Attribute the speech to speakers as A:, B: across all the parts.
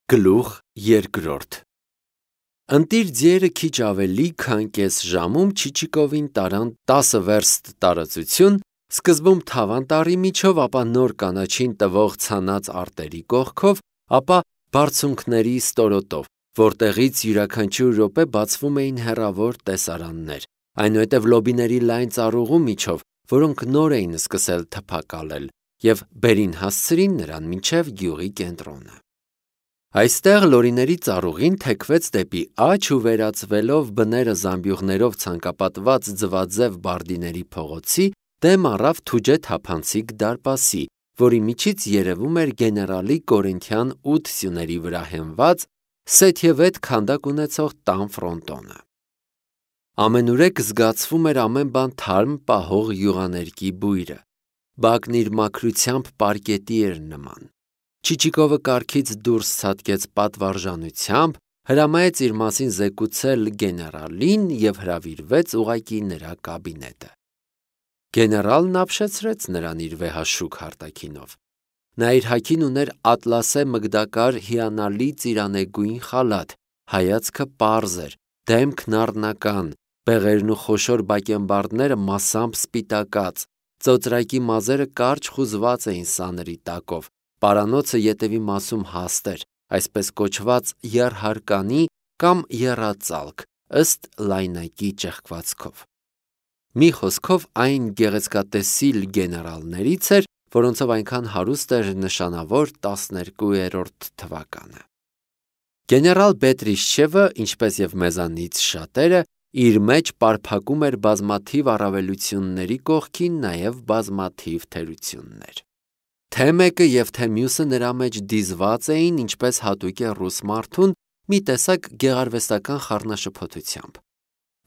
A: Գլուխ երկրորդ Ընտիր ձիերը քիչ ավելի քան կես ժամում Չիչիկովին տարան 10 վերստ տարածություն, սկզբում թավանտառի միջով, ապա նոր կանաչին տվող ցանած արտերի կողքով, ապա բարձունքների ստորոտով, որտեղից յուրաքանչյուր րոպե բացվում էին հեռավոր տեսարաններ, այնուհետև լոբիների լայն ծառուղու միջով, որոնք նոր էին սկսել թփակալել, և բերին հասցրին նրան մինչև գյուղի կենտրոնը։ Այստեղ լորիների ծառուղին թեքվեց դեպի աջ ու վերածվելով բները զամբյուղներով ցանկապատված ձվաձև բարդիների փողոցի, դեմ առավ թուջե թափանցիկ դարպասի, որի միջից երևում էր գեներալի կորինթյան 8 սյուների վրա հենված, սեթևետ քանդակ ունեցող տան ֆրոնտոնը։ Ամենուրեք զգացվում էր ամեն բան թարմ պահող յուղաներկի բույրը, բակն իր մաքրությամբ պարկետի էր նման։ Չիչիկովը կառքից դուրս ցատկեց պատվարժանությամբ, հրամայեց իր մասին զեկուցել գեներալին և հրավիրվեց ուղղակի նրա կաբինետը։ Գեներալն ապշեցրեց նրան իր վեհաշուք հարտակինով։ Նա իր հագին ուներ ատլասե մգդակար հիանալի ծիրանեգույն խալաթ, հայացքը պարզ էր, դեմքն առնական, բեղերն ու խոշոր բակենբարդները մասամբ սպիտակած, ծոծրակի մազերը կարճ խուզված էին սանրի տակով, պարանոցը ետևի մասում հաստ էր, այսպես կոչված եռհարկանի կամ եռածալք, ըստ լայնակի ճեղքվածքով։ Մի խոսքով այն գեղեցկատեսիլ գեներալներից էր, որոնցով այնքան հարուստ էր նշանավոր 12-րդ թվականը։ Գեներալ Բետրիշչևը, ինչպես և մեզանից շատերը, իր մեջ պարփակում էր բազմաթիվ առավելությունների կողքին նաև բազմաթիվ թերություններ։ Թե մեկը և թե մյուսը նրա մեջ դիզված էին, ինչպես հատուկ է ռուս մարդուն, մի տեսակ գեղարվեստական խառնաշփոթությամբ։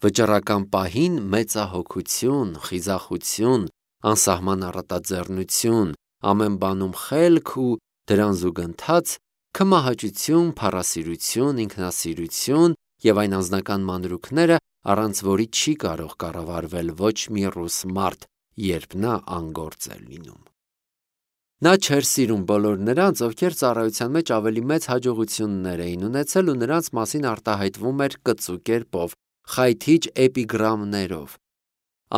A: Վճռական պահին մեծահոգություն, խիզախություն, անսահման առատաձեռնություն, ամեն բանում խելք ու դրան զուգընթաց քմահաճություն, փառասիրություն, ինքնասիրություն և այն անձնական մանրուքները, առանց որի չի կարող կառավարվել ոչ մի ռուս մարդ, երբ նա անգործ է լինում։ Նա չէր սիրում բոլոր նրանց, ովքեր ծառայության մեջ ավելի մեծ հաջողություններ էին ունեցել ու նրանց մասին արտահայտվում էր կծու կերպով, խայթիչ էպիգրամներով։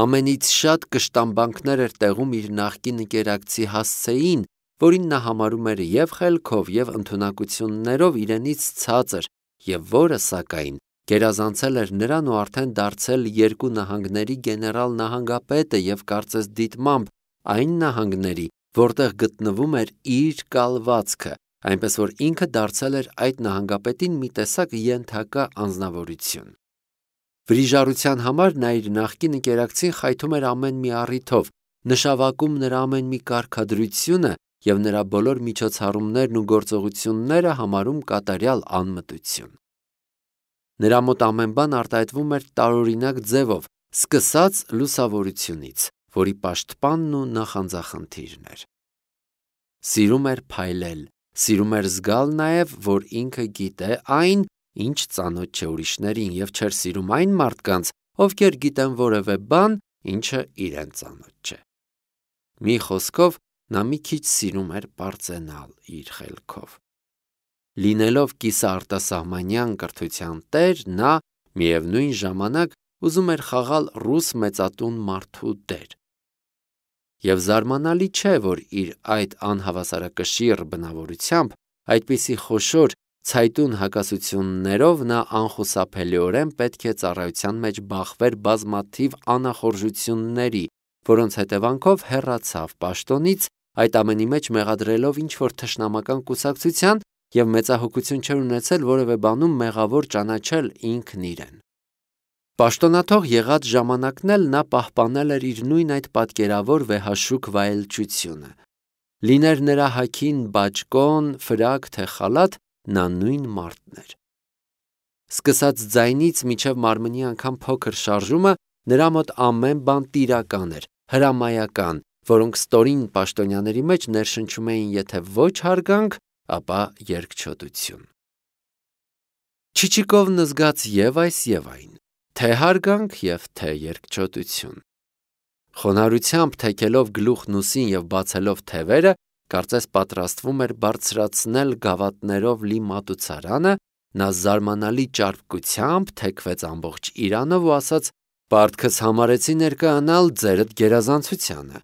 A: Ամենից շատ կշտամբանքներ էր տեղում իր նախկին ընկերակցի հասցեին, որին նա համարում էր և խելքով, և ընդունակություններով իրենից ցածր, և որը, սակայն, գերազանցել էր նրան ու արդեն դարձել երկու նահանգների գեներալ-նահանգապետը և կարծես դիտմամբ այն նահանգների, որտեղ գտնվում էր իր կալվածքը, այնպես որ ինքը դարձել էր այդ նահանգապետին մի տեսակ ենթակա անձնավորություն։ Վրիժառության համար նա իր նախկին ընկերակցին խայթում էր ամեն մի առիթով, նշավակում նրա ամեն մի կարգադրությունը և նրա բոլոր միջոցառումներն ու գործողությունները համարում կատարյալ անմտություն։ Նրա մոտ ամեն բան արտահայտվում էր տարօրինակ ձևով, սկսած լուսավորությունից, որի պաշտպանն ու նախանձախնդիրն էր։ Սիրում էր փայլել, սիրում էր զգալ նաև, որ ինքը գիտե այն, ինչ ծանոթ չէ ուրիշներին, և չէր սիրում այն մարդկանց, ովքեր գիտեն որևէ բան, ինչը իրեն ծանոթ չէ։ Մի խոսքով, նա մի քիչ սիրում էր պարծենալ իր խելքով։ Լինելով կիսաարտասահմանյան կրթության տեր, նա, միևնույն ժամանակ, ուզում էր խաղալ ռուս մեծատուն մարդու դեր։ Եվ զարմանալի չէ, որ իր այդ անհավասարակշիռ բնավորությամբ, այդպիսի խոշոր, ցայտուն հակասություններով նա անխուսափելիորեն պետք է ծառայության մեջ բախվեր բազմաթիվ անախորժությունների, որոնց հետևանքով հեռացավ պաշտոնից, այդ ամենի մեջ մեղադրելով ինչ-որ թշնամական կուսակցության և մեծահոգություն չէր ունեցել որևէ բանում մեղավոր ճանաչել ինքն իրեն։ Պաշտոնաթող եղած ժամանակն էլ նա պահպանել էր իր նույն այդ պատկերավոր վեհաշուք վայելչությունը։ Լիներ նրա հագին բաճկոն, ֆրակ, թե խալաթ, նա նույն մարդն էր։ Սկսած ձայնից մինչև մարմնի անգամ փոքր շարժումը, նրա մոտ ամեն բան տիրական էր, հրամայական, որոնք ստորին պաշտոնյաների մեջ ներշնչում էին եթե ոչ հարգանք, ապա երկչոտություն։ Չիչիկովն զգաց և այս և այն, թե հարգանք և թե երկչոտություն։ Խոնարհությամբ թեքելով գլուխն ուսին և բացելով թևերը, կարծես պատրաստվում էր բարձրացնել գավաթներով լի մատուցարանը, նա զարմանալի ճարպկությամբ թեքվեց ամբողջ իրանով ու ասաց. «Պարտքս համարեցի ներկայանալ ձերդ գերազանցությանը»։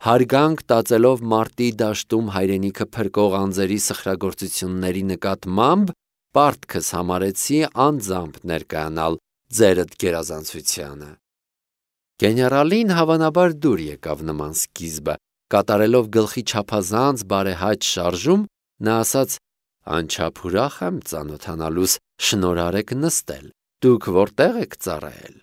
A: Հարգանք տածելով մարտի դաշտում հայրենիքը փրկող անձերի սխրագործությունների նկատմամբ, պարտքս համարեցի անձամբ ներկայանալ ձերդ գերազանցությանը։ Գեներալին հավանաբար դուր եկավ նման սկիզբը, կատարելով գլխի չափազանց բարեհաճ շարժում, նա ասաց. «Անչափ ուրախ եմ ծանոթանալուս, շնորհարեք նստել, դուք որտեղ եք ծառայել»։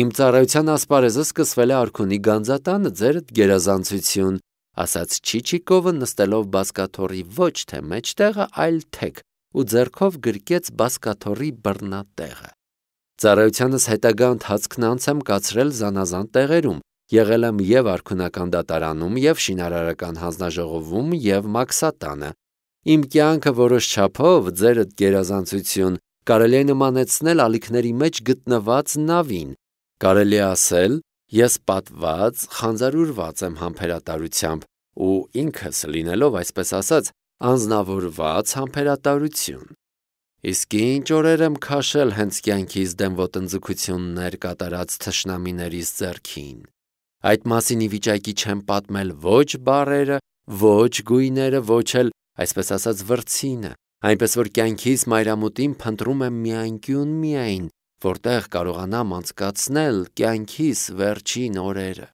A: «Իմ ծառայության ասպարեզը սկսվել է Արքունի գանձատանը, ձերդ գերազանցություն», ասաց Չիչիկովը, նստելով բազկաթոռի ոչ թե մեջտեղը, այլ թեք ու ձեռքով գրկեց բազկաթոռի բռնատեղը։ «Ծառայությանս հետագա ընթացքն անց եմ կացրել զանազան տեղերում, եղել եմ և արքունական դատարանում, և շինարարական հանձնաժողովում, և մաքսատանը։ Իմ կյանքը որոշ չափով, ձերդ գերազանցություն, կարելի է նմանեցնել ալիքների մեջ գտնված նավին։ Կարելի է ասել, ես պատված, խանձարուրված եմ համբերատարությամբ ու ինքս լինելով, այսպես ասած, անձնավորված համբերատարություն։ Իսկ ինչ օրեր եմ քաշել հենց կյանքիս դեմ ոտնձգություններ կատարած թշնամիներիս ձեռքին։ Այդ մասին ի վիճակի չեմ պատմել ոչ բառերը, ոչ գույները, ոչ էլ, այսպես ասած, վրձինը, այնպես որ կյանքիս մայրամուտին փնտրում եմ մի անկյուն միայն, որտեղ կարողանամ անցկացնել կյանքիս վերջին օրերը։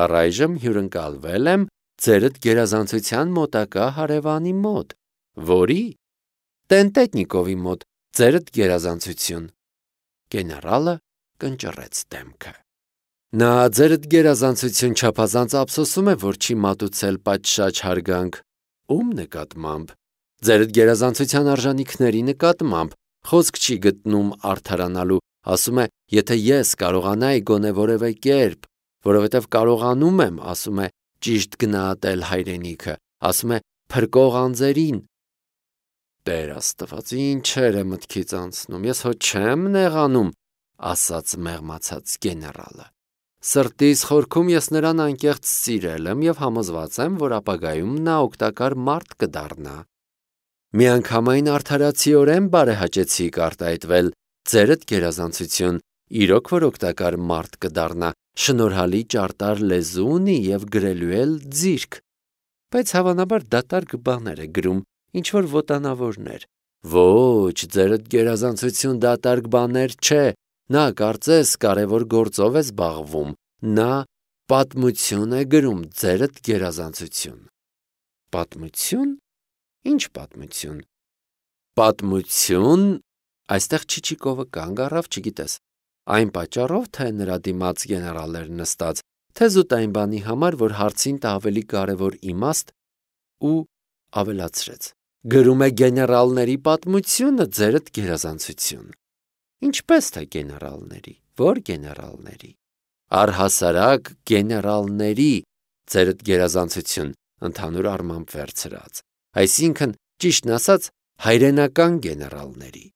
A: Առայժմ հյուրընկալվել եմ ձերդ գերազանցության մոտակա հարևանի մոտ, որի Տենտետնիկովի մոտ, ձերդ գերազանցություն։ Գեներալը կնճռեց դեմքը։ Նա ձերդ գերազանցություն չափազանց ափսոսում է, որ չի մատուցել պատշաճ հարգանք։ Ում նկատմամբ։ Ձերդ գերազանցության արժանինքների նկատմամբ, խոսք չի գտնում արդարանալու, ասում է, եթե ես կարողանայի գոնե որևէ կերպ, որովհետև կարողանում եմ, ասում է, ճիշտ գնահատել հայրենիքը, ասում է, փրկող անձերին։ Տեր Աստված, ինչեր է մտքից անցնում, ես հո չեմ նեղանում, ասաց մեղմացած գեներալը։ Սրտիս խորքում ես նրան անկեղծ սիրել եմ և համոզված եմ, որ ապագայում նա օգտակար մարդ կդառնա։ Միանգամայն արդարացիորեն բարեհաճեցիք արտահայտվել, ձերդ գերազանցություն, իրոք որ օգտակար մարդ կդառնա, շնորհալի ճարտար լեզու ունի և գրելու էլ ձիրք, բայց հավանաբար դատարկ բաներ է գրում, ինչ-որ ոտանավորներ։ Ոչ, ձերդ գերազանցություն դատարկ բաներ չէ, նա կարծես կարևոր գործով է զբաղվում, նա պատմություն է գրում, ձերդ գերազանցություն։ Պատմություն։ Ինչ պատմություն։ Պատմություն։ Այստեղ Չիչիկովը կանգ առավ, չգիտես, այն պատճառով, թե նրա դիմաց գեներալ էր նստած, թե զուտ այն բանի համար, որ հարցին տա ավելի կարևոր իմաստ ու ավելացրեց. գրում է գեներալների պատմությունը, ձերդ գերազանցություն։ Ինչպես թե գեներալների, որ գեներալների։ Առհասարակ գեներալների, ձերդ գերազանցություն, ընդհանուր առմամբ վերցրած, այսինքն, ճիշտն ասած, հայրենական գեներալների։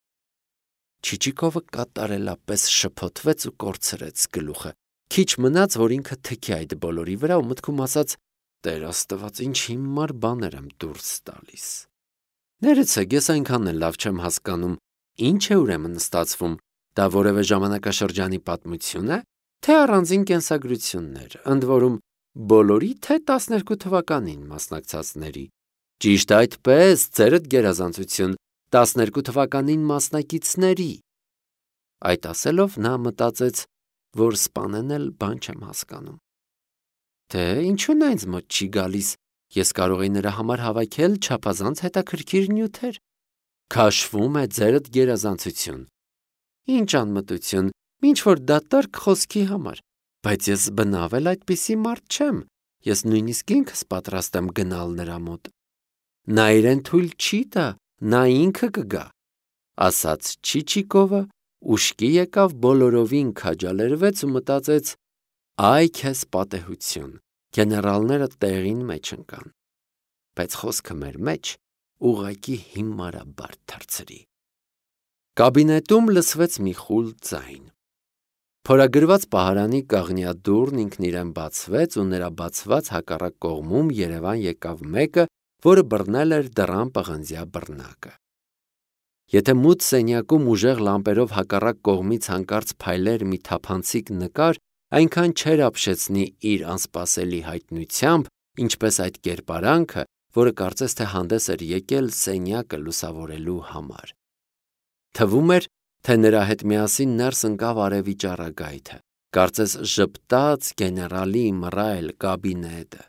A: Չիչիկովը կատարելապես շփոթվեց ու կորցրեց գլուխը։ Քիչ մնաց, որ ինքը թքի այդ բոլորի վրա ու մտքում ասաց. Տեր Աստված, ինչ հիմար բաներ եմ դուրս տալիս։ Ներեցեք, ես այնքան էլ լավ չեմ հասկանում, ինչ է ուրեմն ստացվում, դա որևէ ժամանակաշրջանի պատմություն է, թե առանձին կենսագրություններ, ընդ որում բոլորի, թե 12 թվականին մասնակցածների։ Ճիշտ այդպես, ձերդ գերազանցություն, 12 թվականին մասնակիցների։ Այդ ասելով նա մտածեց, որ սպանեն էլ բան չեմ հասկանում։ Թե ինչու նա ինձ մոտ չի գալիս, ես կարող էի նրա համար հավաքել չափազանց հետաքրքիր նյութեր։ Քաշվում է ձերդ գերազանցություն։ Ինչ անմտություն, ինչ որ դատարկ խոսքի համար, բայց ես բնավ էլ այդպիսի մարդ չեմ, ես նույնիսկ ինքս պատրաստ եմ գնալ նրա մոտ։ Նա իրեն թույլ չի տա, նա ինքը կգա, ասաց Չիչիկովը, ուշքի եկավ, բոլորովին քաջալերվեց ու մտածեց. այ քեզ պատեհություն, գեներալները տեղին մեջ ընկան, բայց խոսքը մեր մեջ ուղղակի հիմարաբար թռցրի։ Կաբինետում լսվեց մի խուլ ձայն։ Փորագրված պահարանի կաղնյադուռն ինքն իրեն բացվեց ու նրա բացված հակառակ կողմում Երևան եկավ մեկը, որը բռնել էր դռան պղնձյա բռնակը։ Եթե մութ սենյակում ուժեղ լամպերով հակառակ կողմից հանկարծ փայլեր մի թափանցիկ նկար, այնքան չէր ապշեցնի իր անսպասելի հայտնությամբ, ինչպես այդ կերպարանքը, որը կարծես թե հանդես էր եկել սենյակը լուսավորելու համար։ Թվում էր, թե նրա հետ միասին ներս ընկավ արևի ճառագայթը, կարծես ժպտաց գեներալի մռայլ կաբինետը։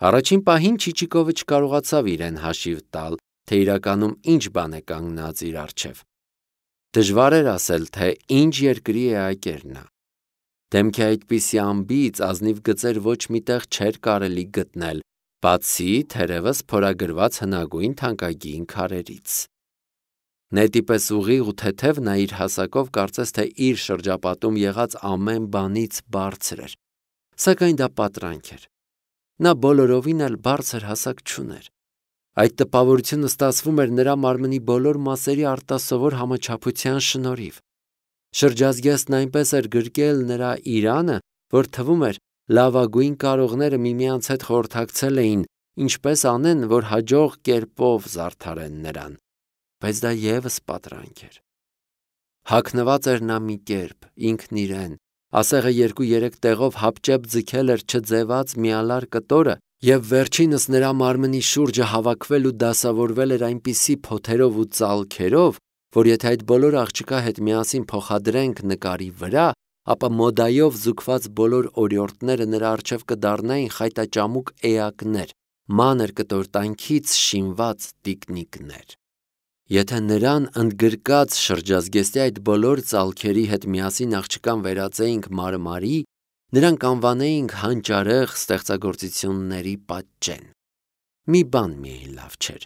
A: Առաջին պահին Չիչիկովը չկարողացավ իրեն հաշիվ տալ, թե իրականում ինչ բան է կանգնած իր առջև։ Դժվար էր ասել, թե ինչ երկրի էակ էր նա։ Դեմքի այդպիսի ամբից ազնիվ գծեր ոչ միտեղ չէր կարելի գտնել, բացի թերևս փորագրված հնագույն թանկագին քարերից։ Նետի պես ուղիղ ու թեթև նա իր հասակով կարծես թե իր շրջապատում եղած ամեն բանից բարձր էր, սակայն դա պատրանք էր։ Նա բոլորովին էլ բարձր հասակ չուներ։ Այդ տպավորությունը ստացվում էր նրա մարմնի բոլոր մասերի արտասովոր համաչափության շնորհիվ։ Շրջազգեստն այնպես էր գրկել նրա իրանը, որ թվում էր լավագույն կարողները միմյանց հետ խորհրդակցել էին, ինչպես անեն, որ հաջող կերպով զարդարեն նրան, բայց դա ևս պատրանք էր։ Հագնված էր նա մի կերպ, ինքն իրեն, ասեղը 2-3 տեղով հապճեպ ձգել էր չձևած միալար կտորը, և վերջինս նրա մարմնի շուրջը հավաքվել ու դասավորվել էր այնպիսի փոթերով ու ծալքերով, որ եթե այդ բոլոր աղջկա հետ միասին փոխադրենք նկարի վրա, ապա մոդայով զուգված բոլոր օրիորդները նրա առջև կդառնային խայտաճամուկ էակներ, մանր կտորտանքից շինված տիկնիկներ։ Եթե նրան ընդգրկած շրջազգեստի այդ բոլոր ծալքերի հետ միասին աղջկան վերածեինք մարմարի, նրան կանվանեինք հանճարեղ ստեղծագործությունների պատճեն։ Մի բան միայն լավ չէր.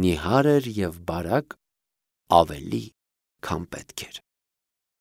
A: նիհար էր և բարակ ավելի, քան պետք էր։